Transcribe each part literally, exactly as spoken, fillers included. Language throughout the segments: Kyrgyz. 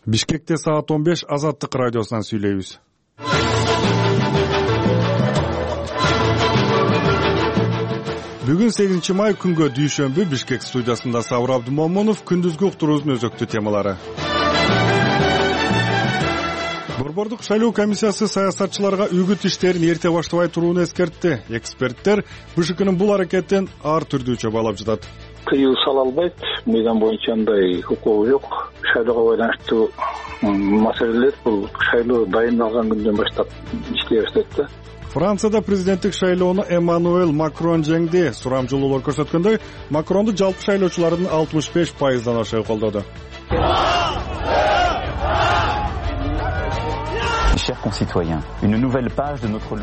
Бишкекте саат он беш Азаттык радиосунан сүйлөйбүз. Бүгүн сегизинчи май күнгө дүйшөмбү. Бишкек студиясында Сабыр Абдымомунов. Күндүзгү уктуруубуздун өзөктүү темалары. Борбордук шайлоо комиссиясы саясатчыларга үгүт иштерин эрте баштабай турууну эскертти. Эксперттер БШКнын бул аракетин ар түрдүүчө баалап жатат. Кыюу сала албайт. Мыйзам боюнча андай укугу жок. Шайлоого байланыштуу маселелер бул шайлоо дайындалган күндөн баштап иштей баштайт да. Францияда президенттик шайлоону Эммануэль Макрон жеңди. Сурамжылуулар көрсөткөндөй, Макронду жалпы шайлоочулардын алтымыш беш пайыздан ашы колдоду.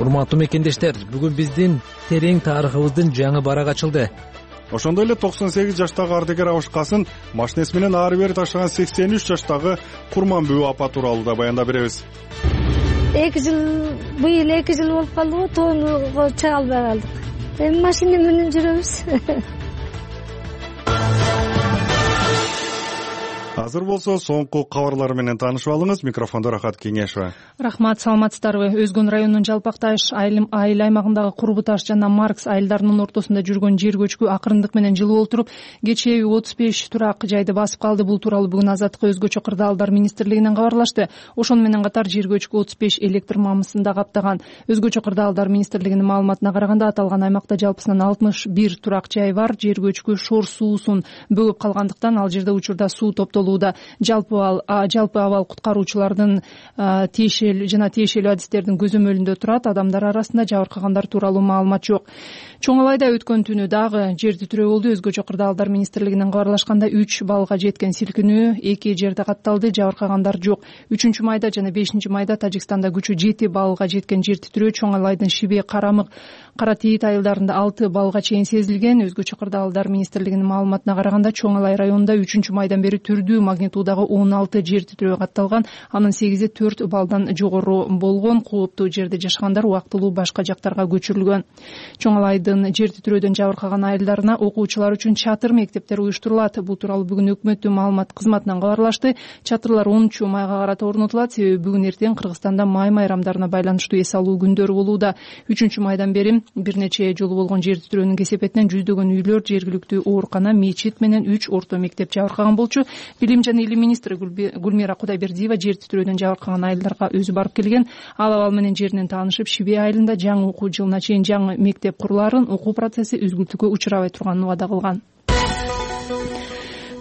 Урматтуу мекендештер, бүгүн биздин терең тарыхыбыздын жаңы барагы ачылды. Ошондой эле токсон сегиз жаштагы ардагер Абышкасын машинеси менен ары бери таштаган сексен үч жаштагы Курманбүү апа тууралуу да баяндап беребиз. эки жыл быйыл эки жыл болуп калды го, тоону чыга албай калдык. Эми машина менен жүрөбүз. Азыр болсо соңку кабарлар менен таанышып алыңыз. Микрофондо Рахат Кеңешова. Рахмат, саламатсыздарбы? Өзгөн районунун Жалпакташ айыл аймагындагы Курбу таш жана Маркс айылдарынын ортосунда жүргөн жер көчкү акырындык менен жылуу олтуруп, кечээ отуз беш турак жайды басып калды. Бул тууралуу бүгүн Азаттык өзгөчө кырдаалдар министрлигинен кабарлашты. Ошону менен катар жер көчкү отуз беш электр мамысын да каптаган. Өзгөчө кырдаалдар министрлигинин маалыматына караганда, аталган аймакта жалпысынан алтымыш бир турак жай бар. Жер көчкү шор суусун бөгөп калгандыктан ал жерде учурда суу топтолууда. Жалпы ал жалпы абал куткаруучулардын тиешелүү жана тиешелүү адистердин көзөмөлүндө турат. Адамдар арасында жабыркагандар тууралуу маалымат жок. Чоң Алайда өткөн түнү дагы жер титирөө болду. Өзгөчө кырдаалдар министрлигинен кабарлашканда үч баллга жеткен силкинүү эки жерде катталды. Жабыркагандар жок. үчүнчү майда жана бешинчи майда Тажикстанда күчү жети баллга жеткен жер титирөө Чоң Алайдын Шибе, Карамык, Кара Тейит айылдарында алты баллга чейин сезилген. Өзгөчө кырдаалдар министрлигинин маалыматына караганда, Чоң Алай районунда үчүнчү майдан бери түрдүү магнитудагы он алты жер титирөө катталган. Анын сегизи төрт баллдан жогору болгон. Кооптуу жерде жашагандар убактылуу башка жактарга көчүрүлгөн. Чоң Алайдын жер титирөөдөн жабыркаган айылдарына окуучулар үчүн чатыр мектептер уюштурулат. Бул тууралуу бүгүн өкмөттүн маалымат кызматынан кабарлашты. Чатырлар онунчу майга карата орнотулат. Себеби бүгүн эртең Кыргызстанда май майрамдарына байланыштуу эс алуу күндөрү болууда. үчүнчү майдан бери бир нече жолу болгон жер титирөөнүн кесепетинен жүздөгөн үйлөр, жергиликтүү оорукана, мечит менен үч орто мектеп жабыркаган болчу. Билим жана илим министри Гүлмира Кудайбердиева жер титирөөдөн жабыркаган айылдарга өзү барып келген. Ал абал менен жеринен таанышып, Шибе айылында жаңы окуу жылына чейин жаңы мектеп курулаарын, окуу процесси үзгүлтүүгө учурабай турганын убада кылган.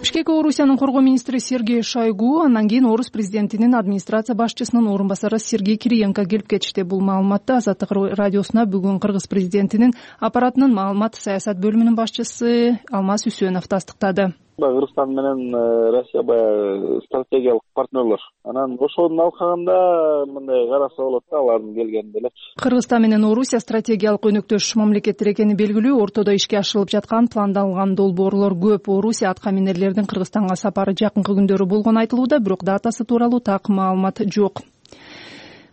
Бишкек Орусиянын коргоо министри Сергей Шойгу, андан кийин Орус президентинин администрация башчысынын орун басары Сергей Кириенко келип кетишти. Бул маалыматты Азаттык радиосуна бүгүн Кыргыз президентинин аппаратынын маалымат саясат бөлүмүнүн башчысы Алмаз Үсөнов тастыктады. Кыргызстан менен Россия баягы стратегиялык партнерлор. Анан ошону алкаганда мындай караса болот да, алардын келгени деле. Кыргызстан менен Орусия стратегиялык өнөктөш мамлекеттер экени белгилүү. Ортодо ишке ашырылып жаткан пландалган долбоорлор көп. Орусия аткаминерлердин Кыргызстанга сапары жакынкы күндөрү болгону айтылууда, бирок датасы тууралуу так маалымат жок.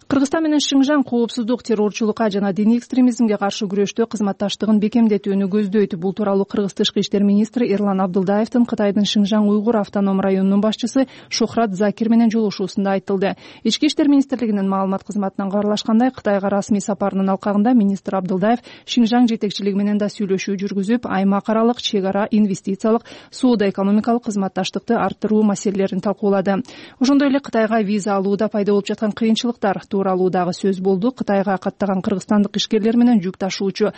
Кыргызстан менен Шыңжаң коопсуздук, террорчулукка жана диний экстремизмге каршы күрөштө кызматташтыгын бекемдетүүнү көздөйт. Бул тууралуу Кыргыз тышкы иштер министри Эрлан Абдылдаевдин Кытайдын Шыңжаң уйгур автоном районунун башчысы Шухрат Закир менен жолугушуусунда айтылды. Ички иштер министрлигинин маалымат кызматынан кабарлашкандай, Кытайга расмий сапарынын алкагында министр Абдылдаев Шыңжаң жетекчилиги менен да сүйлөшүү жүргүзүп, аймак аралык чек ара инвестициялык, соода-экономикалык кызматташтыкты арттыруу маселелерин талкуулады. Ошондой эле Кытайга виза алууда пайда болуп жаткан кыйынчылыктар тууралуу дагы сөз болду. Кытайга каттаган кыргызстандык ишкерлер менен жүк ташуучу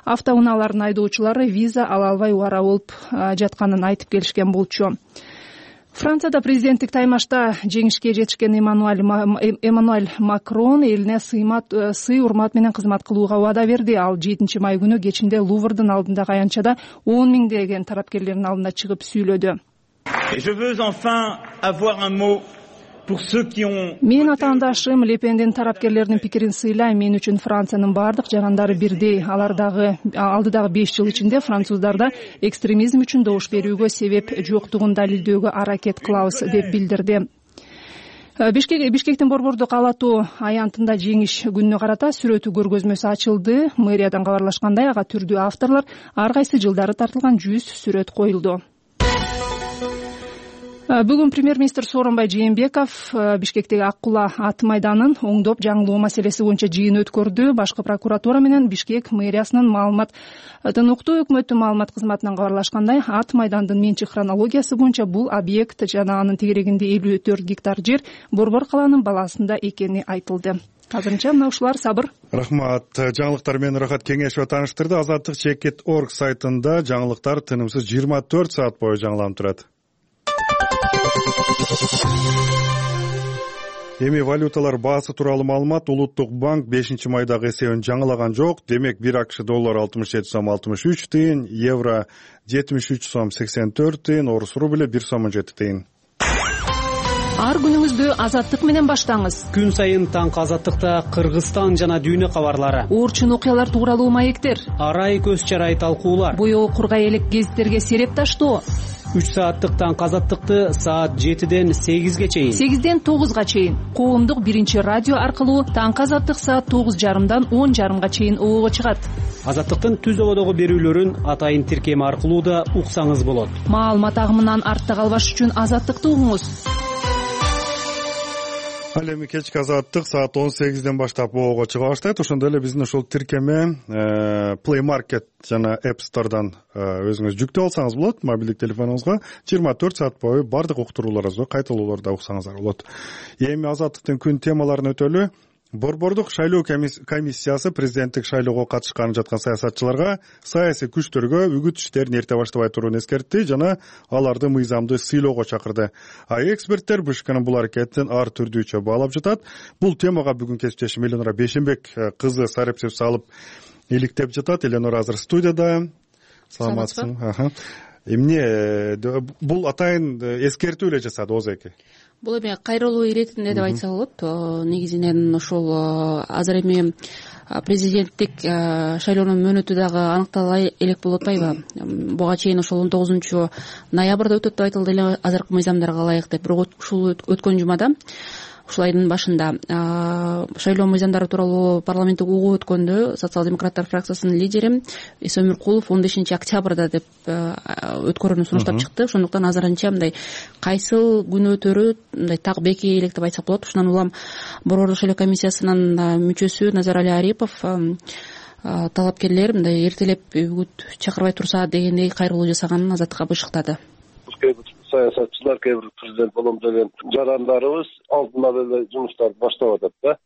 автоунаалардын айдоочулары виза ала албай убара болуп жатканын айтып келишкен болчу. Францияда президенттик таймашта жеңишке жетишкен Эммануэль Эммануэль Макрон элине сый урмат менен кызмат кылууга убада берди. Ал жетинчи май күнү кечинде Луврдун алдындагы аянтчада он миңдеген тарапкерлердин алдында чыгып сүйлөдү. Мен атаандашым Лепендин тарапкерлеринин пикирин сыйлайм. Мен үчүн Франциянын бардык жарандары бирдей. Алардагы алдыдагы беш жыл ичинде француздарда экстремизм үчүн добуш берүүгө себеп жоктугун далилдөөгө аракет кылабыз деп билдирди. Бишкектин Борбордук ала тоо аянтында жеңиш күнүнө карата сүрөтү көргөзмөсү ачылды. Мэриядан кабарлашкандай, ага түрдүү авторлор ар кайсы жылдары тартылган жүз сүрөт коюлду. Бүгүн премьер-министр Сооронбай Жээнбеков Бишкектеги Ак Кула ат майданын оңдоп жаңылоо маселеси боюнча жыйын өткөрдү. Башкы прокуратура менен Бишкек мэриясынын маалымат укту өкмөттүн маалымат кызматынан кабарлашкандай, ат майдандын менчик хронологиясы боюнча бул объект жана анын тегерегинде элүү төрт гектар жер Борбор калаанын баласында экени айтылды. Азырынча мына ушулар, сабыр. Рахмат. Жаңылыктар менен Рахат Кеңешова тааныштырды. Азаттык чекит точка орг сайтында жаңылыктар тынымсыз жыйырма төрт саат бою жаңыланып турат. Эми валюталар баасы тууралуу маалымат. Улуттук банк бешинчи майдагы эсебин жаңылаган жок. Демек бир АКШ доллары алтымыш жети сом алтымыш үч тыйын, евро жетимиш үч сом сексен төрт тыйын, орус рубль бир сом жети тыйын. Ар күнүңүздү Азаттык менен баштаңыз. Күн сайын таңкы Азаттыкта Кыргызстан жана дүйнө кабарлары, орчун окуялар тууралуу маектер, арай көз чарай талкуулар, боёгу кургай элек гезиттерге сереп таштоо. үч сааттык таңкы Азаттыкты саат жетиден сегизге чейин, сегизден тогузга чейин коомдук биринчи радио аркылуу таңкы Азаттык саат тогуз жарымдан он жарымга чейин оого чыгат. Азаттыктын түз ободогу берүүлөрүн атайын тиркеми аркылуу да уксаңыз болот. Маалымат агымынан артта калбаш үчүн Азаттыкты угуңуз. Ал эми кечки Азаттык саат он сегизден баштап оого чыга баштайт. Ошондой эле биздин ушул тиркеме Play Market жана App Store'дан өзүңүз жүктөп алсаңыз болот. Мобилдик телефонуңузга жыйырма төрт саат бою бардык уктурууларыбызды кайталоолорду уксаңыздар болот. Эми Азаттыктын күн темаларын өтөлү. Борбордук шайлоо комиссиясы президенттик шайлоого катышканы жаткан саясатчыларга саясий күчтөргө үгүт иштерин эрте баштабай турууну эскертти жана аларды мыйзамды сыйлоого чакырды. А эксперттер БШКнын бул аракетин ар түрдүүчө баалап жатат. Бул темага бүгүн кесиптешим Эленора Бейшенбек кызы сарепсиз салып иликтеп жатат. Эленора азыр студияда. Саламатсызбы? Эмне бул атайын эскертүү эле жасады Ооз эки? Бул эми кайрылуу иретинде деп айтса болот. Негизинен ошол азыр эми президенттик шайлоонун мөөнөтү дагы аныктала элек болуп атпайбы? Буга чейин ошол он тогузунчу ноябрда өтөт деп айтылды эле азыркы мыйзамдарга ылайык деп. Бирок ушул өткөн жумада, ушул айдын башында шайлоо мыйзамдары тууралуу парламенттик угуу өткөндө социал-демократтар фракциясынын лидери Эсен Өмүркулов он бешинчи октябрда деп өткөрүүнү сунуштап чыкты. Ошондуктан азырынча мындай кайсыл күн өтөрү мындай так бекей элек деп айтсак болот. Ушундан улам Борбордук шайлоо комиссиясынын мүчөсү Назарали Арипов талапкерлер мындай эртелеп үгүт чакырбай турса дегендей кайрылуу жасаганын Азаттыкка бышыктады. Саясатчылар, кээ бир президент болом деген жарандарыбыз алдынан эле жумуштарды баштап атат да.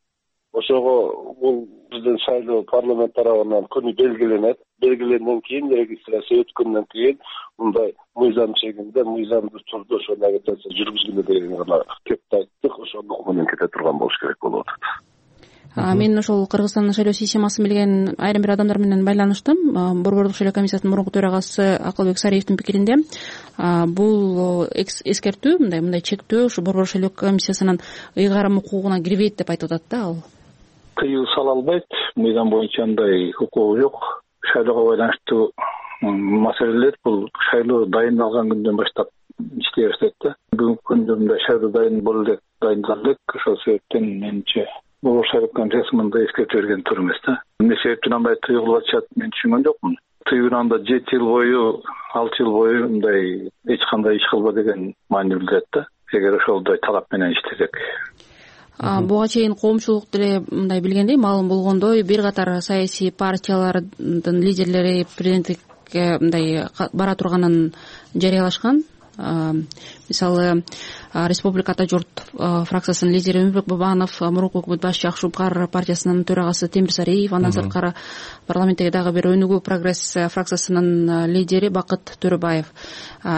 Ошого бул биздин шайлоо парламент тарабынан күнү белгиленет. Белгиленген кийин регистрация өткөндөн кийин мындай мыйзам чегинде, мыйзамдуу түрдө ошол агитация жүргүзгүлө деген гана кеп айттык. Ошондук менен кете турган болуш керек болуп атат. Мен ошол Кыргызстандын шайлоо системасын билген айрым бир адамдар менен байланыштым. Борбордук шайлоо комиссиясынын мурунку төрагасы Акылбек Сариевдин пикиринде бул эскертүү, мындай мындай чектөө ушу Борбордук шайлоо комиссиясынын ыйгарым укугуна кирбейт деп айтып атат да ал. Тыюу сала албайт. Мыйзам боюнча андай укугу жок. Шайлоого байланыштуу маселелер бул шайлоо дайындалган күндөн баштап иштей баштайт да. Бүгүнкү күндө мындай шайлоо дайын боло элек, дайындалдык. Ошол себептен менимче Борбордук шайлоо комиссиясы мындай эскертүү берген туура эмес да. Эмне себептен андай тыйылып атышат, мен түшүнгөн жокмун. Тыюунанда жети жыл бою, алты жыл бою мындай эч кандай иш кылба деген маани билдирет да. Эгер ошолдой талап менен иштесек. Буга чейин коомчулук деле мындай билгендей, маалым болгондой, бир катар саясий партиялардын лидерлери президенттикке мындай бара турганын жарыялашкан. Мисалы, Республика Ата журт фракциясынын лидери Өмүрбек Бабанов, мурунку өкмөт башчы Ак Шупкар партиясынын төрагасы Темир Сариев, андан сырткары парламенттеги дагы бир Өнүгүү прогресс фракциясынын лидери Бакыт Төрөбаев.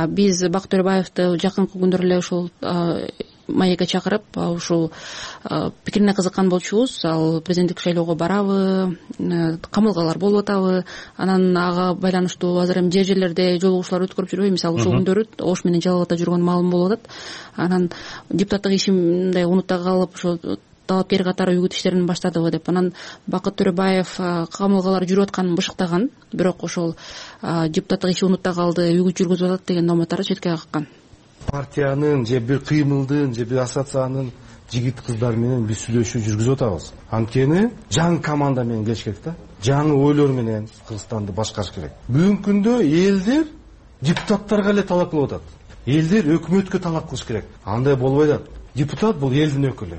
Биз Бакыт Төрөбаевди жакынкы күндөрү эле ушул маекке чакырып, ушул пикирине кызыккан болчубуз. Ал президенттик шайлоого барабы, камылгалар болуп атабы, анан ага байланыштуу азыр эми жер жерлерде жолугушуулар өткөрүп жүрбөйбү. Мисалы ушул күндөрү Ош менен Жалал Абадта жүргөн маалым болуп атат. Анан депутаттык ишим мындай унутта калып, ошо талапкер катары үгүт иштерин баштадыбы деп. Анан Бакыт Төрөбаев камылгалар жүрүп атканын бышыктаган, бирок ошол депутаттык иши унутта калды, үгүт жүргүзүп атат деген номоттары четке каккан. Партиянын же бир кыймылдын же бир ассоциациянын жигит кыздар менен биз сүйлөшүү жүргүзүп атабыз. Анткени жаңы команда менен келиш керек да. Жаңы ойлор менен Кыргызстанды башкарыш керек. Бүгүнкү күндө элдер депутаттарга эле талап кылып атат. элдер өкмөткө талап кылыш керек. Андай болбой атат. Депутат бул элдин өкүлү.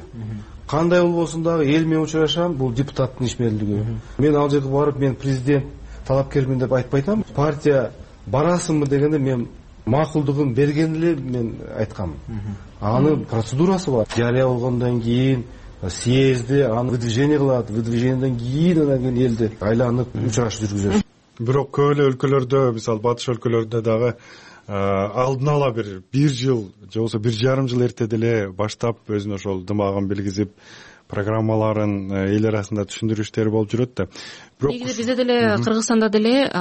Кандай болбосун дагы эл менен учурашам, бул депутаттын ишмерлиги. Мен ал жерге барып, мен президент талапкермин деп айтпай атам. Партия барасыңбы дегенде мен макулдугун берген эле мен айткам. Анын процедурасы бар. Жарыя болгондон кийин съезди аны выдвижение кылат, выдвижениеден кийин анан кийин элди айланып учураш жүргүзөт. Бирок көп эле өлкөлөрдө, мисалы батыш өлкөлөрдө дагы алдын ала бир бир жыл же болбосо бир жарым жыл эрте деле баштап өзүнүн ошол дымагын билгизип программаларын эл арасында түшүндүрүү иштери болуп жүрөт да. Бирок негизи бизде деле Кыргызстанда деле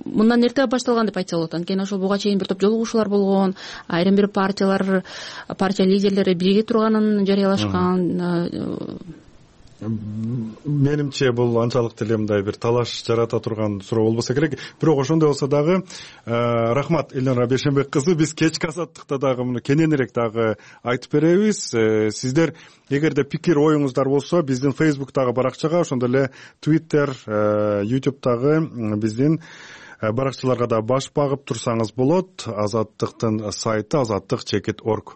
мындан эрте башталган деп айтса болот. Анткени ошол буга чейин бир топ жолугушуулар болгон, айрым бир партиялар, партия лидерлери бирге турганын жарыялашкан. Менимче бул анчалык деле мындай бир талаш жарата турган суроо болбосо керек. Бирок ошондой болсо дагы рахмат Элнара Бейшенбек кызы, биз кечки азаттыкта дагы муну кененирээк дагы айтып беребиз. Сиздер эгерде пикир оюңуздар болсо биздин Facebook'тагы баракчага, ошондой эле Twitter, YouTube'дагы биздин баракчаларга да баш багып турсаңыз болот. Азаттыктын сайты азаттык чекит орг.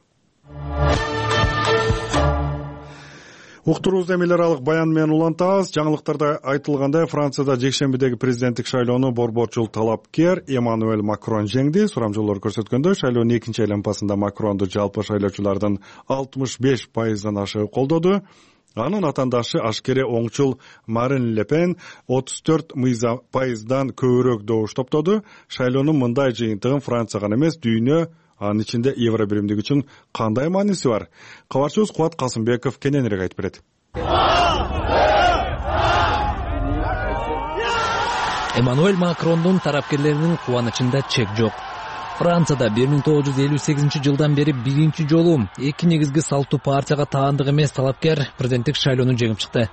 Уктуруубузду эми эл аралык баян менен улантабыз. Жаңылыктарда айтылгандай, Францияда жекшембидеги президенттик шайлоону борборчул талапкер Эммануэль Макрон жеңди. Сурамжылоолор көрсөткөндөй, шайлоонун экинчи айланпасында Макронду жалпы шайлоочулардын алтымыш беш пайыздан ашыгы колдоду. Анын атандашы ашкере оңчул Марин Ле Пен отуз төрт пайыздан көбүрөөк добуш топтоду. Шайлоонун мындай жыйынтыгын Франция гана эмес, дүйнө, анын ичинде евро биримдиги үчүн кандай мааниси бар? Кабарчыбыз Кубат Касымбеков кененирээк айтып берет. Эммануэль Макрондун тарапкерлеринин кубанычында чек жок. Францияда бир миң тогуз жүз элүү сегизинчи жылдан бери биринчи жолу эки негизги салттуу партияга таандык эмес талапкер президенттик шайлоону жеңип чыкты.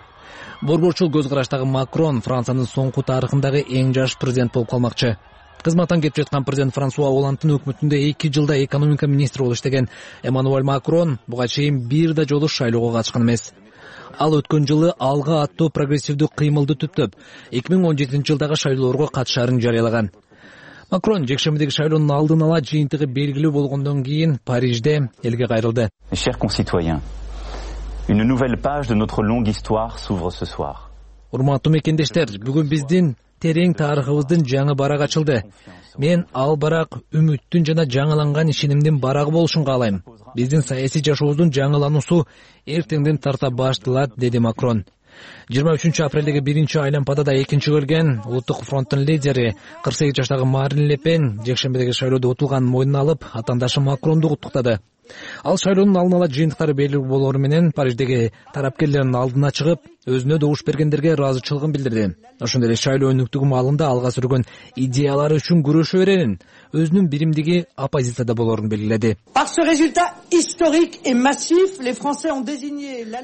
Борборчул көз караштагы Макрон Франциянын соңку тарыхындагы эң жаш президент болуп калмакчы. Кызматтан кетип жаткан президент Франсуа Олландтын өкмөтүндө эки жылда экономика министри болуп иштеген Эммануэль Макрон буга чейин бир да жолу шайлоого катышкан эмес. Ал өткөн жылы алга аттуу прогрессивдүү кыймылды түптөп, эки миң он жетинчи жылдагы шайлоолорго катышаарын жарыялаган. Макрон жекшембидеги шайлоонун алдын ала жыйынтыгы белгилүү болгондон кийин Парижде элге кайрылды. Chers concitoyens, une nouvelle page de notre longue histoire s'ouvre ce soir. Урматтуу мекендештер, бүгүн биздин терең тарыхыбыздын жаңы барак ачылды. Мен ал барак үмүттүн жана жаңыланган ишенимдин барагы болушун каалайм. Биздин саясий жашообуздун жаңылануусу эртеңден тарта башталат, деди Макрон. жыйырма үчүнчү апрелдеги биринчи айланпада да экинчи келген улуттук фронттун лидери кырк сегиз жаштагы Марин Ле Пен жекшембидеги шайлоодо утулганын мойнуна алып, атандашы Макронду куттуктады. Ал шайлоонун алдын ала жыйынтыктары белгилүү болору менен Париждеги тарапкерлердин алдына чыгып, өзүнө добуш бергендерге ыраазычылыгын билдирди. Ошондой эле шайлоо өнүктүгү маалында алга сүргөн идеялары үчүн күрөшө берерин, өзүнүн биримдиги оппозицияда болорун белгиледи.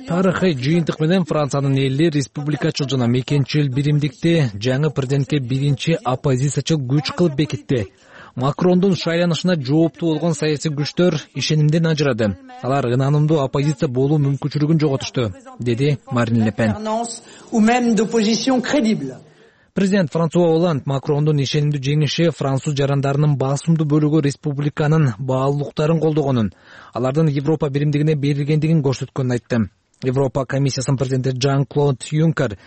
Тарыхый жыйынтык менен Франциянын эли республикачыл жана мекенчил биримдикти жаңы президентке биринчи оппозициячыл күч кылып бекитти. Макрондун шайланышына жооптуу болгон саясий күчтөр ишенимден ажырады. Алар ынанымдуу оппозиция болуу мүмкүнчүлүгүн жоготушту, деди Марин Ле Пен. Президент Франсуа Олланд Макрондун ишенимдүү жеңиши француз жарандарынын басымдуу бөлүгү республиканын баалуулуктарын колдогонун, алардын Европа биримдигине берилгендигин көрсөткөнүн айтты. Европа комиссиясынын президенти Жан-Клод Юнкер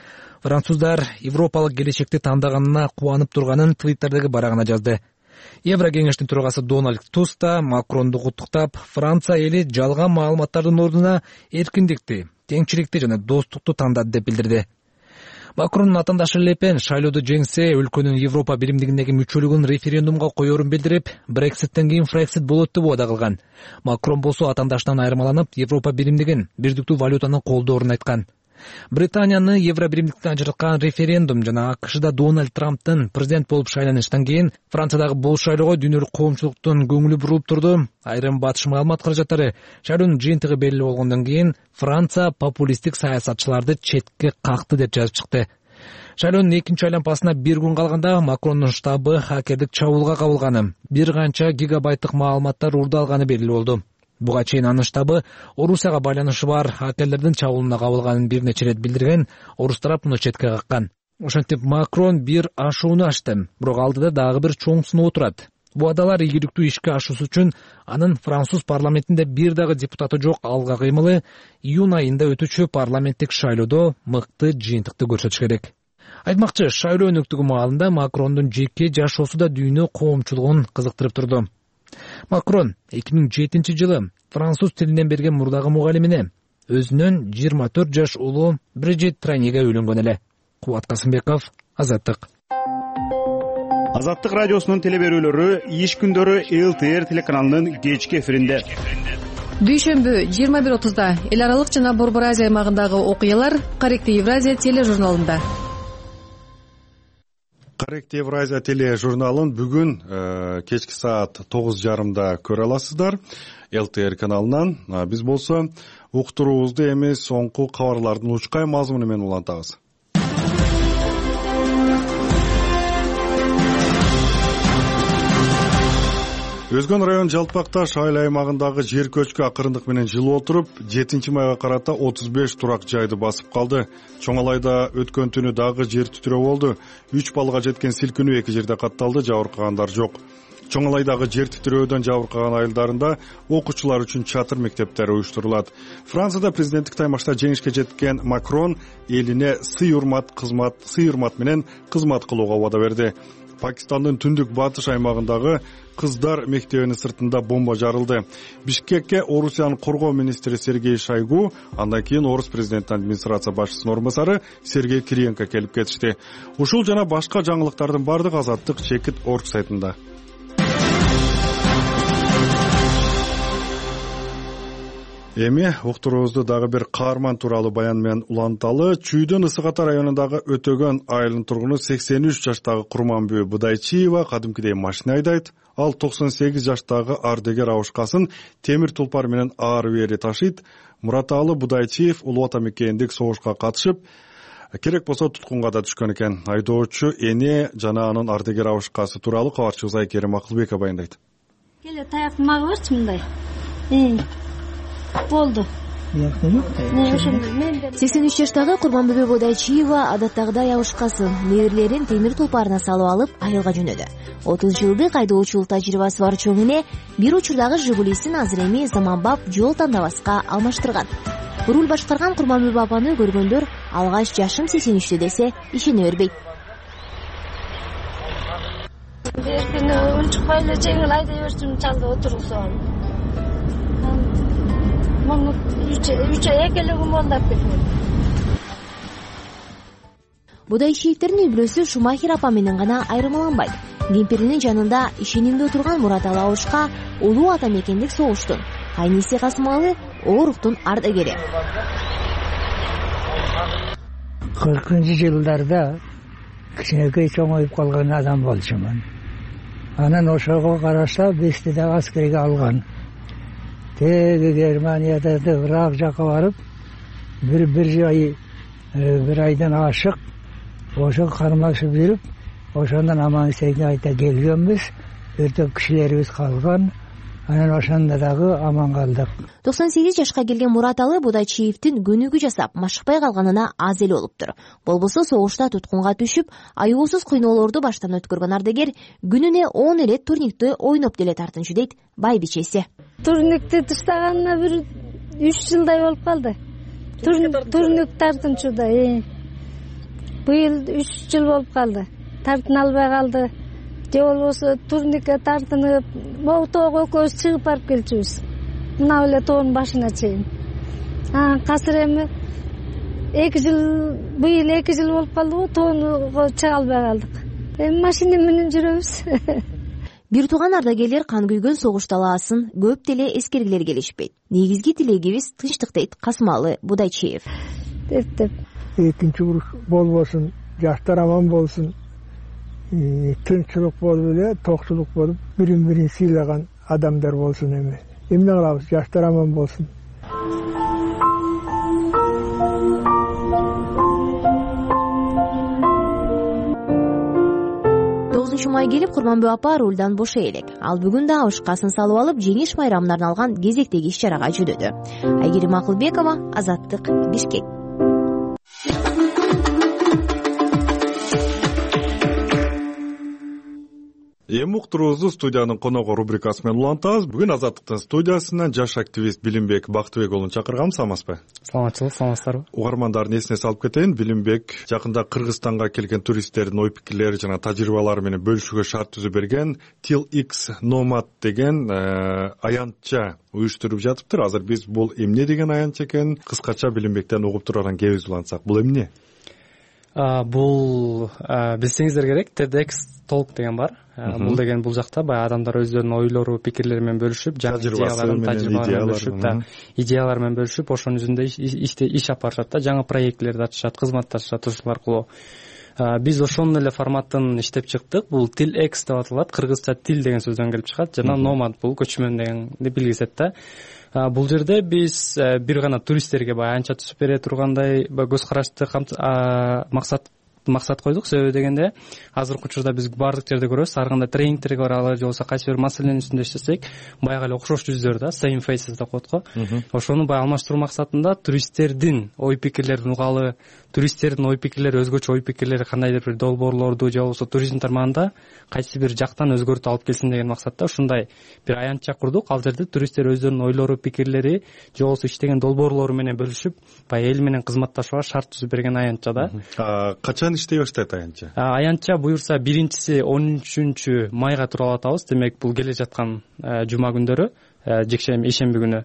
француздар европалык келечекти тандаганына кубанып турганын Твиттердеги барагына жазды. Евро кеңештин төрагасы Дональд Туск да Макронду куттуктап, Франция эли жалган маалыматтардын ордуна эркиндикти, теңчиликти жана достукту тандады деп билдирди. Макрондун атандашы Ле Пен шайлоодо жеңсе, өлкөнүн Европа биримдигиндеги мүчөлүгүн референдумга коерун билдирип, Брекситтен кийин Фрексит болот деп убада кылган. Макрон болсо атандашынан айырмаланып, Европа биримдигин, бирдиктүү валютаны колдоорун айткан. Британияны евро биримдиктен ажыраткан референдум жана АКШда Дональд Трамптын президент болуп шайланышынан кийин Франциядагы бул шайлоого дүйнөлүк коомчулуктун көңүлү бурулуп турду. Айрым батыш маалымат каражаттары шайлоонун жыйынтыгы белгилүү болгондон кийин Франция популисттик саясатчыларды четке какты деп жазып чыкты. Шайлоонун экинчи айланпасына бир күн калганда Макрондун штабы хакердик чабуулга кабылганы, бир канча гигабайттык маалыматтар уурдалганы белгилүү болду. Буга чейин анын штабы Орусияга байланышы бар хакерлердин чабуулуна кабылганын бир нече ирет билдирген, орус тарап муну четке каккан. Ошентип Макрон бир ашууну ачты, бирок алдыда дагы бир чоң сыноо турат. убадалар ийгиликтүү ишке ашуусу үчүн анын француз парламентинде бир дагы депутаты жок алга кыймылы июнь айында өтүүчү парламенттик шайлоодо мыкты жыйынтыкты көрсөтүш керек. Айтмакчы, шайлоо өнөктүгү маалында Макрондун жеке жашоосу да дүйнө коомчулугун кызыктырып турду. Макрон эки миң жетинчи жылы француз тилинен берген мурдагы мугалимине өзүнөн жыйырма төрт жаш улуу Брижит Транеге үйлөнгөн эле. Кубат Касымбеков, Азаттык. Азаттык радиосунун телеберүүлөрү иш күндөрү эл тэ эр телеканалынын кечки эфиринде. Дүйшөмбү жыйырма бир отузда эл аралык жана Борбор Азия аймагындагы окуялар Корректив Евразия тележурналында. Корректив Евразия тележурналын бүгүн кечки саат тогуз жарымда көрө аласыздар эл тэ эр каналынан. Биз болсо уктуруубузду эми соңку кабарлардын учкай мазмуну менен улантабыз. Өзгөн район Жалпак Таш айыл аймагындагы жер көчкү акырындык менен жылып отуруп, жетинчи майга карата отуз беш турак жайды басып калды. Чоңалайда өткөн түнү дагы жер титирөө болду. үч баллга жеткен силкинүү эки жерде катталды, жабыркагандар жок. Чоңалайдагы жер титирөөдөн жабыркаган айылдарында окуучулар үчүн чатыр мектептери уюштурулат. Францияда президенттик таймашта жеңишке жеткен Макрон элине сый-урмат кызмат, сый-урмат менен кызмат кылууга убада берди. Пакистандын түндүк батыш аймагындагы кыздар мектебинин сыртында бомба жарылды. Бишкекке Орусиянын коргоо министри Сергей Шойгу, андан кийин Орус президенттин администрация башчысынын орун басары Сергей Кириенко келип кетишти. Ушул жана башка жаңылыктардын бардыгы Азаттык чекит точка орг сайтында. Эми уктуруубузду дагы бир каарман тууралуу баян менен уланталы. Чүйдүн Ысык Ата районундагы Өтөгөн айылынын тургуну сексен үч жаштагы Курманбү Будайчиева кадимкидей машина айдайт. Ал токсон сегиз жаштагы ардегер абышкасын темир тулпар менен ары бери ташыйт. Мураталы Будайчиев улуу ата мекендик согушка катышып, керек болсо туткунга да түшкөн экен. Айдоочу эне жана анын ардегер абышкасы тууралуу кабарчыбыз Айкерим Акылбекова баяндайт. Келе таякты мага берчи мындай. Болду. сексен үч жаштагы Курманбүбө Будайчиева адаттагыдай абышкасын, неберелерин темир тулпарына салып алып айылга жөнөдү. отуз жылдык айдоочулук тажрыйбасы бар чоң эне бир учурдагы Жигулисин азыр эми заманбап жол тандабаска алмаштырган. Руль башкарган Курманбүбө апаны көргөндөр алгач жашым сексен үчтө десе ишене бербейт. Эркин унчукпай эле жеңил айдай берчүм чалды отургузган. Муну үч ай экелегим болду деп кеткен. Будайчиевтердин үй-бүлөсү Шумахер апа менен гана айырмаланбайт. Кемпиринин жанында ишенимде турган Мураталы абышка улуу ата мекендик согуштун, Кайниси Касымалы ооруктун ардагери. кыркынчы жылдарда кичинекей чоңоюп калган адам болчумун. Анан ошого караша бестиде аскерге алган. Теги Германияда Ирак жака барып, бир бир ай бир айдан ашык ошо кармашып жүрүп, ошондон аман эсен айта келгенбиз. Өртөк кишилерибиз калган. Анан ошондо дагы аман калдык. токсон сегиз жашка келген Мураталы Будайчиевдин көнүгүү жасап машыкпай калганына аз эле болуптур. Болбосо согушта туткунга түшүп, аюусуз кыйноолорду баштан өткөргөн ардагер күнүнө он эле турниктти ойноп деле тартынчу дейт байбичеси. Турникти таштаганына бир үч жылдай болуп калды. Турник тартынчуда. Быйыл үч жыл болуп калды. Тартына албай калды. Же болбосо турникке тартынып, могу тоого экөөбүз чыгып барып келчүбүз. Мына эле тоонун башына чейин. А азыр эми эки жыл, быйыл эки жыл болуп калдыбы, тоонго чыга албай калдык. Эми машина менен жүрөбүз. Бир тууган ардагерлер кан күйгөн согуш талаасын көп деле эскергилер келишпейт. Негизги тилегибиз тынчтык дейт Касымалы Будайчиев. Деп деп. Экинчи уруш болбосун, жаштар аман болсун. Тынччылык болуп эле, токчулук болуп, бирин-бирин сыйлаган адамдар болсун эми. Эмне кылабыз? Жаштар аман болсун. тогузунчу май келип Курманбү апа рулдан бошой элек. Ал бүгүн да абышкасын салып алып, жеңиш майрамына арналган кезектеги иш-чарага жөнөдү. Айгерим Акылбекова, Азаттык, Бишкек. эми уктуруубузду студиянын коногу рубрикасы менен улантабыз. Бүгүн Азаттыктын студиясынан жаш активист Билимбек Бактыбек уулун чакырганбыз. Саламатсызбы? Саламатчылык, саламатсыздарбы? Угармандардын эсине салып кетейин. Билимбек жакында Кыргызстанга келген туристтердин ой пикирлери жана тажрыйбалары менен бөлүшүүгө шарт түзүп берген Till X Nomad деген аянтча уюштуруп жатыптыр. Азыр биз бул эмне деген аянтча экенин кыскача Билимбектен угуп турган кебиз улантсак. Бул эмне? Бул билсеңиздер керек, TEDx Talk деген бар. Бул деген бул жакта баягы адамдар өздөрүнүн ойлору, пикирлери менен бөлүшүп, жаңы идеяларын, тажрыйбалары менен бөлүшүп, да, идеялар менен бөлүшүп, ошонун жүзүндө иш алып барышат да, жаңы проектлерди ачышат, кызматташышат ушул аркылуу. Биз ошонун эле форматын иштеп чыктык. Бул Till X деп аталат. Кыргызча тил деген сөздөн келип чыгат жана nomad бул көчмөн дегенди билгизет да. Бул жерде биз бир гана туристтерге баягы аянтча түзүп бере тургандай көз карашты максат максат койдук. Себеби дегенде азыркы учурда биз баардык жерде көрөбүз, ар кандай тренингтерге баралы же болбосо кайсы бир маселенин үстүндө иштесек, баягы эле окшош жүздөр да, same faces деп коет го. Ошону баягы алмаштыруу максатында туристтердин ой пикирлерин угалы, туристтердин ой пикирлери, өзгөчө ой пикирлери, кандайдыр бир долбоорлорду же болбосо туризм тармагында кайсы бир жактан өзгөртүү алып келсин деген максатта ушундай бир аянтча курдук. Ал жерде туристтер өздөрүнүн ойлору, пикирлери же болбосо иштеген долбоорлору менен бөлүшүп, баягы эл менен кызматташууга шарт түзүп берген аянтча да. Качан иштей баштайт аянтча? Аянтча буюрса биринчиси он үчүнчү майга туруп атабыз. Демек бул келе жаткан жума күндөрү, жекшемби, ишемби күнү.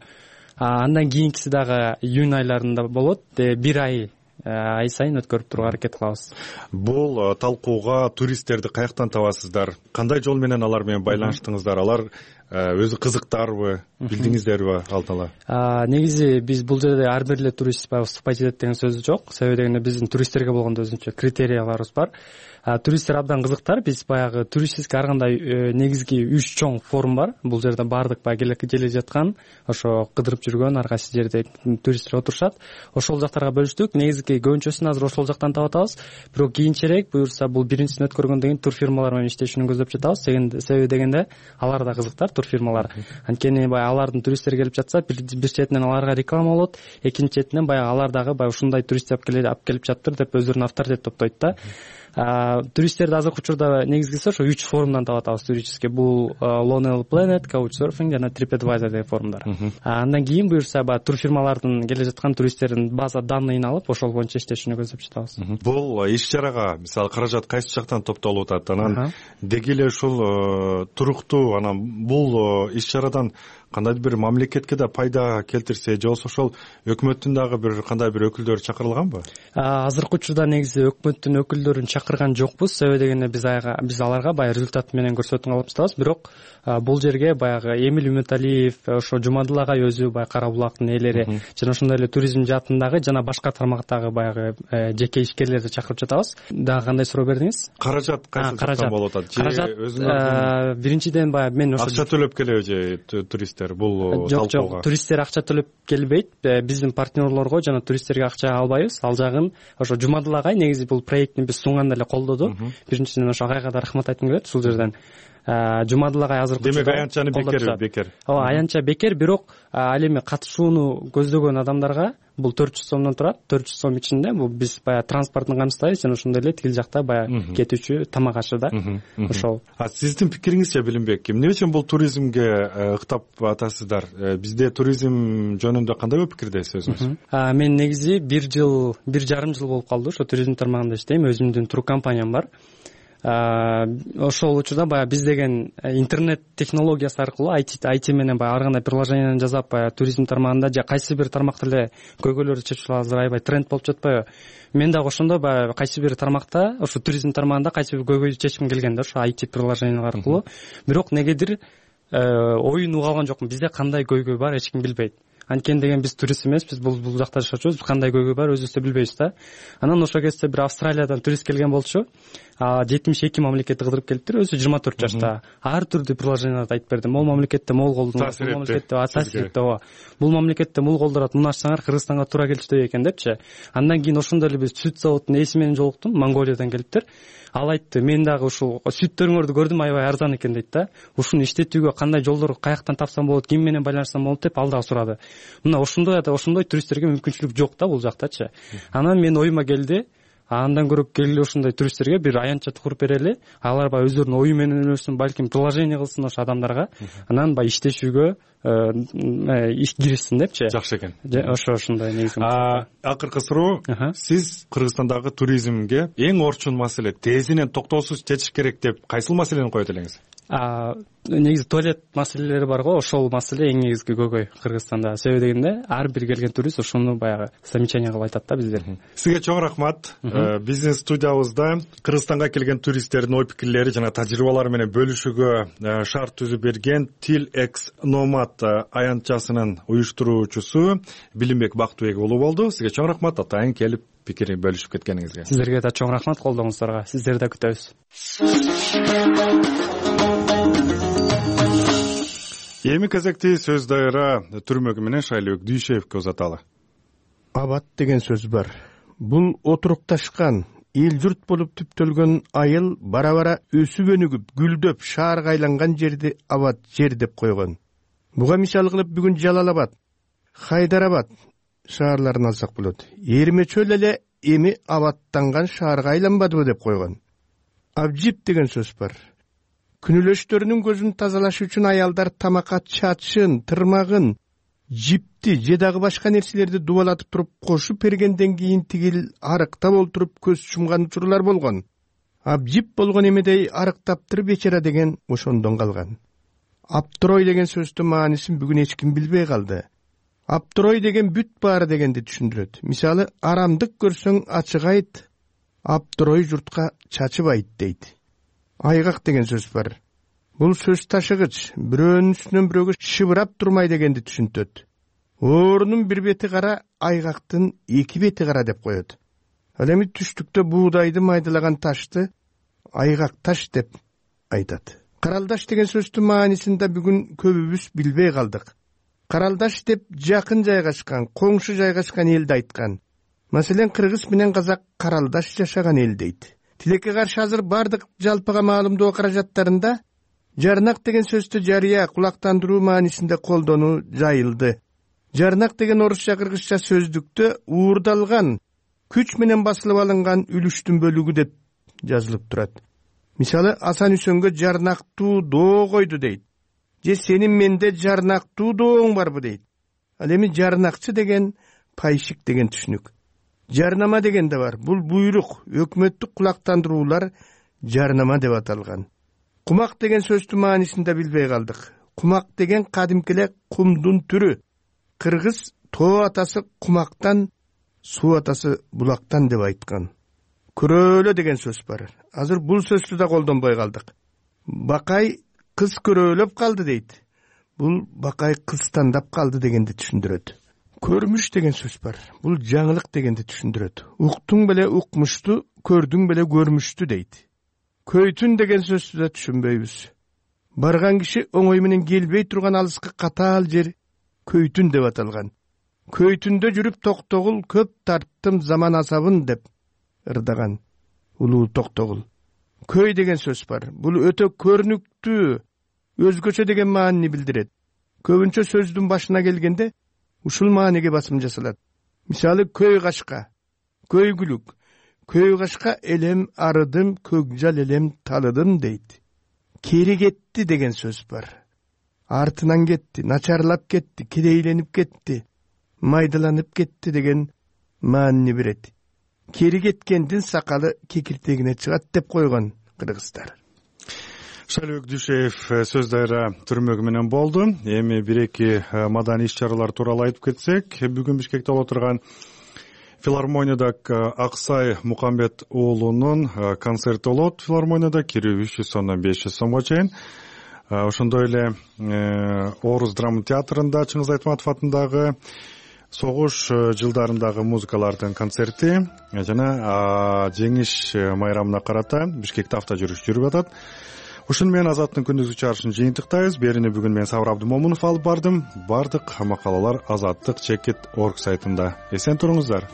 Андан кийинкиси дагы июнь айларында болот. Бир ай ай сайын өткөрүп турууга аракет кылабыз. Бул талкууга туристтерди каяктан табасыздар? Кандай жол менен алар менен байланыштыңыздар? Алар өзү кызыктарбы, билдиңиздерби алдала? Негизи биз бул жерде ар бир эле турист выступать этет деген сөз жок. Себеби дегенде биздин туристтерге болгон өзүнчө критерияларыбыз бар. Туристтер абдан кызыктар. Биз баягы туристический ар кандай негизги үч чоң форум бар. Бул жерде баардык баягы келе жаткан, ошо кыдырып жүргөн ар кайсы жерде туристтер отурушат. Ошол жактарга бөлүштүк. Негизги көбүнчөсүн азыр ошол жактан таап атабыз. Бирок кийинчерээк буюрса бул биринчисин өткөргөндөн кийин турфирмалар менен иштешүүнү көздөп жатабыз. Себеби дегенде алар да кызыктар, турфирмалар. Анткени баягы алардын туристтери келип жатса, бир четинен аларга реклама болот, экинчи четинен баягы алар дагы баягы ушундай турист алып келип жатыптыр деп өздөрүнүн авторитет топтойт да. Туристтерди азыркы учурда негизгиси ошо үч форумдан таап атабыз туристический. Бул Lonely Planet, Couchsurfing жана TripAdvisor деген форумдар. Андан кийин буюрса баягы турфирмалардын келе жаткан туристтердин база данныйын алып, ошол боюнча иштешүүнү көздөп жатабыз. Бул иш-чарага мисалы каражат кайсы жактан топтолуп атат? Анан деги эле ушул туруктуу анан бул иш-чарадан кандайдыр бир мамлекетке да пайда келтирсе, же болбосо ошол өкмөттүн дагы бир кандай бир өкүлдөрү чакырылганбы? Азыркы учурда негизи өкмөттүн өкүлдөрүн чакырган жокпуз. Себеби дегенде биз биз аларга баягы результат менен көрсөтүүнү алып жатабыз. Бирок бул жерге баягы Эмиль Үмүталиев, ошо Жумадыл агай өзү баягы Кара булактын ээлери жана ошондой эле туризм жаатындагы жана башка тармактагы баягы жеке ишкерлерди чакырып жатабыз. Дагы кандай суроо бердиңиз? Каражат кайсы жактан болуп атат? Каражат өзүнүн биринчиден баягы мен ошо акча төлөп келеби же туристтер бул талкууга? Жок, туристтер акча төлөп келбейт. Биздин партнерлорго жана туристтерге акча албайбыз. Ал жагын ошо Жумадыл агай негизи бул проектти биз сунганда эле колдоду. Биринчиден ошо агайга да рахмат айткым келет ушул жерден. Жумадыл агай азыркы учурда демек аянтчаны бекер бекер. Ооба, аянтча бекер, бирок ал эми катышууну көздөгөн адамдарга бул төрт жүз сомдон турат. төрт жүз сом ичинде бул биз баягы транспортун камсыздайбыз жана ошондой эле тил жакта баягы кетүүчү тамак ашы да. Ошол. А сиздин пикириңизче Билимбек, эмне үчүн бул туризмге ыктап атасыздар? Бизде туризм жөнүндө кандай пикирдесиз өзүңүз? Мен негизи бир жыл, бир жарым жыл болуп калды ошо туризм тармагында иштейм. Өзүмдүн тур компаниям бар. Ошол учурда баягы биз деген интернет технологиясы аркылуу ай ти менен баягы ар кандай приложениени жасап баягы туризм тармагында же кайсы бир тармакта эле көйгөйлөрдү чечип азыр аябай тренд болуп жатпайбы? Мен дагы ошондо баягы кайсы бир тармакта, ошо туризм тармагында кайсы бир көйгөйдү чечким келген да, ошо ай ти приложение аркылуу. Бирок негедир оюн уга алган жокмун. Бизде кандай көйгөй бар эч ким билбейт. Анткени деген биз турист эмеспиз, бул бул жакта жашачубуз, кандай көйгөй бар өзүбүз да билбейбиз да. Анан ошол кезде бир Австралиядан турист келген болчу. жетимиш эки мамлекетти кыдырып келиптир, өзү жыйырма төрт жашта. Ар түрдүү приложенияларды айтып берди. Могул мамлекетте могул колдонот, бул мамлекетте таасир этти, ооба. Бул мамлекетте мул колдорот, муну ачсаңар Кыргызстанга туура келчүдөй экен депчи. Андан кийин ошондой эле биз сүт заводунун ээси менен жолуктум, Монголиядан келиптир. Ал айтты, мен дагы ушул сүттөрүңөрдү көрдүм, аябай арзан экен дейт да. Ушуну иштетүүгө кандай жолдор каяктан тапсам болот, ким менен байланышсам болот деп ал дагы сурады. Мына ошондой ошондой туристтерге мүмкүнчүлүк жок да бул жактачы. Анан мен оюма келди, андан көрө келгиле ушундай туристтерге бир аянтча куруп берели, алар баягы өздөрүнүн ою менен элестирсин, балким предложение кылсын ошо адамдарга, анан баягы иштешүүгө иш киришсин депчи. Жакшы экен. Ошо ошондой негизи. Акыркы суроо, сиз Кыргызстандагы туризмге эң орчун маселе, тезинен токтоосуз чечиш керек деп кайсыл маселени коет элеңиз? Негизи туалет маселелери бар го, ошол маселе эң негизги көкөй Кыргызстанда. Себеби дегенде ар бир келген турист ошону баягы замечание кылып айтат да биздер. Сизге чоң рахмат. Биздин студиябызда Кыргызстанга келген туристтердин ой пикирлери жана тажрыйбалары менен бөлүшүүгө шарт түзүп берген Тил X Nomad аянтчасынын уюштуруучусу Билимбек Бактыбек уулу болду. Сизге чоң рахмат атайын келип пикирин бөлүшүп кеткениңизге. Сиздерге да чоң рахмат колдооңуздарга. Сиздерди да күтөбүз. Эми кезекти сөз дайыра түрмөгү менен Шайлоок Дүйшеевке узаталы. Абат деген сөз бар. Бул отурукташкан, эл журт болуп түптөлгөн айыл бара-бара өсүп өнүгүп, гүлдөп, шаарга айланган жерди абат жер деп койгон. Буга мисал кылып бүгүн Жалал Абад, Хайдарабад шаарларын алсак болот. Эрмечөл эле эми абаттанган шаарга айланбадыбы деп койгон. Абжип деген сөз бар. Күнүлөштөрүнүн көзүн тазалаш үчүн аялдар тамакка чачын, тырмагын, жипти же дагы башка нерселерди дубалатып туруп кошуп бергенден кийин тигил арыктап олтуруп көз чумган учурлар болгон. Абжип болгон эмедей арыктаптыр бечара деген ошондон калган. Аптырой деген сөздүн маанисин бүгүн эч ким билбей калды. Аптырой деген бүт баары дегенди түшүндүрөт. Мисалы, арамдык көрсөң ачык айт, аптырой журтка чачып айт дейт. Айгак деген сөз бар. Бул сөз ташыгыч, бирөөнүн үстүнөн бирөөгө шыбырап турмай дегенди түшүнтөт. Оорунун бир бети кара, айгактын эки бети кара деп коет. Ал эми түштүктө буудайды майдалаган ташты айгак таш деп айтат. Каралдаш деген сөздүн маанисин да бүгүн көбүбүз билбей калдык. Каралдаш деп жакын жайгашкан, коңшу жайгашкан элди айткан. Маселен, кыргыз менен казак каралдаш жашаган эл дейт. Тилекке каршы азыр бардык жалпыга маалымдоо каражаттарында жарнак деген сөздү жарыя, кулактандыруу маанисинде колдонуу жайылды. Жарнак деген орусча-кыргызча сөздүктө уурдалган, күч менен басылып алынган үлүштүн бөлүгү деп жазылып турат. Мисалы, Асан Үсөнгө жарнактуу доо койду дейт. Же сенин менде жарнактуу дооң барбы дейт. Ал эми жарнакчы деген пайшик деген түшүнүк. Жарнама деген да бар. Бул буйрук, өкмөттүк кулактандыруулар жарнама деп аталган. Кумак деген сөздүн маанисин да билбей калдык. Кумак деген кадимкиле кумдун түрү. Кыргыз тоо атасы кумактан, суу атасы булактан деп айткан. Көрөөлө деген сөз бар. Азыр бул сөздү да колдонбой калдык. Бакай кыз көрөөлөп калды дейт. Бул бакай кыз тандап калды дегенди түшүндүрөт. Көрмүш деген сөз бар. Бул жаңылык дегенди түшүндүрөт. Уктуң беле укмушту, көрдүң беле көрмүштү дейт. Көйтүн деген сөздү да түшүнбөйбүз. Барган киши оңой менен келбей турган алыскы катаал жер көйтүн деп аталган. Көйтүндө жүрүп токтогул көп тарттым заман асабын деп ырдаган улуу токтогул. Көй деген сөз бар. Бул өтө көрүнүктүү, өзгөчө деген маанини билдирет. Көбүнчө сөздүн башына келгенде ушул мааниге басым жасалат. Мисалы, көй кашка, көйгүлүк, көй кашка элем арыдым, көкжал элем талыдым дейт. Кери кетти деген сөз бар. Артынан кетти, начарлап кетти, кедейленип кетти, майдаланып кетти деген маанини берет. Кери кеткендин сакалы кекиртегине чыгат деп койгон кыргыздар. Шайлоок Дүйшеев сөз дайыра түрмөгү менен болду. Эми бир-эки маданий иш-чаралар тууралуу айтып кетсек, бүгүн Бишкекте боло турган филармонияда Аксай Мукамбет уулунун концерти болот. Филармонияда кирүү үч жүз сомдон беш жүз сомго чейин. Ошондой эле Орус драма театрында Чыңгыз Айтматов атындагы согуш жылдарындагы музыкалардын концерти жана жеңиш майрамына карата Бишкекте авто жүрүш жүрүп атат. Ушуну менен Азаттын күндүзгү чыгарышын жыйынтыктайбыз. Берини бүгүн мен Сабыр Абдымомунов алып бардым. Бардык макалалар Азаттык чекит орг сайтында. Эсен туруңуздар.